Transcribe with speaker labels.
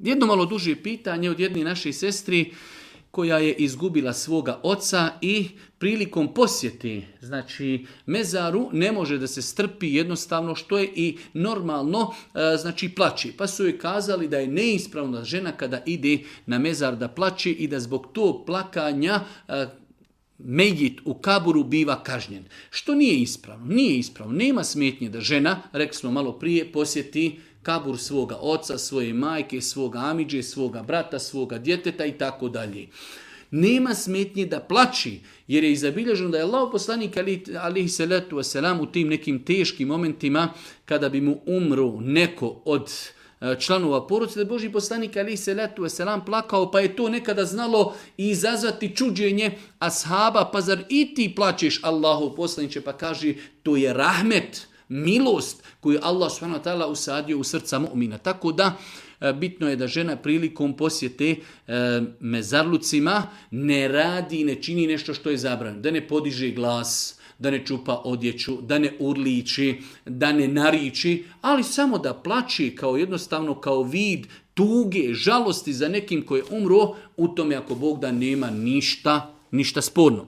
Speaker 1: Jedno malo duže pitanje od jedne naše sestri koja je izgubila svoga oca i prilikom posjete, znači mezaru, ne može da se strpi jednostavno, što je i normalno, znači plaći. Pa su joj kazali da je neispravna žena kada ide na mezar da plaći i da zbog tog plakanja Mejit u kaburu biva kažnjen. Što nije ispravno. Nije ispravno. Nema smetnje da žena, rekli smo malo prije, posjeti kabur svoga oca, svoje majke, svoga amidže, svoga brata, svoga djeteta i tako dalje. Nema smetnje da plaći, jer je izabilježeno da je Allahov poslanik alejhi salatu vesselam u tim nekim teškim momentima kada bi mu umro neko od članova porodice, da je Božji poslanik alejhi salatu vesselam plakao, pa je to nekada znalo izazvati čuđenje ashaba, pa zar i ti plačeš Allahov poslaniče, pa kaže to je rahmet, milost koju Allah subhanahu wa ta'ala usadio u srca mu'mina. Tako da bitno je da žena prilikom posjete mezarlucima ne radi, ne čini nešto što je zabranjeno, da ne podiže glas, da ne čupa odjeću, da ne urliči, da ne nariči, ali samo da plači kao jednostavno kao vid tuge, žalosti za nekim koji je umro, u tome ako Bog da nema ništa sporno.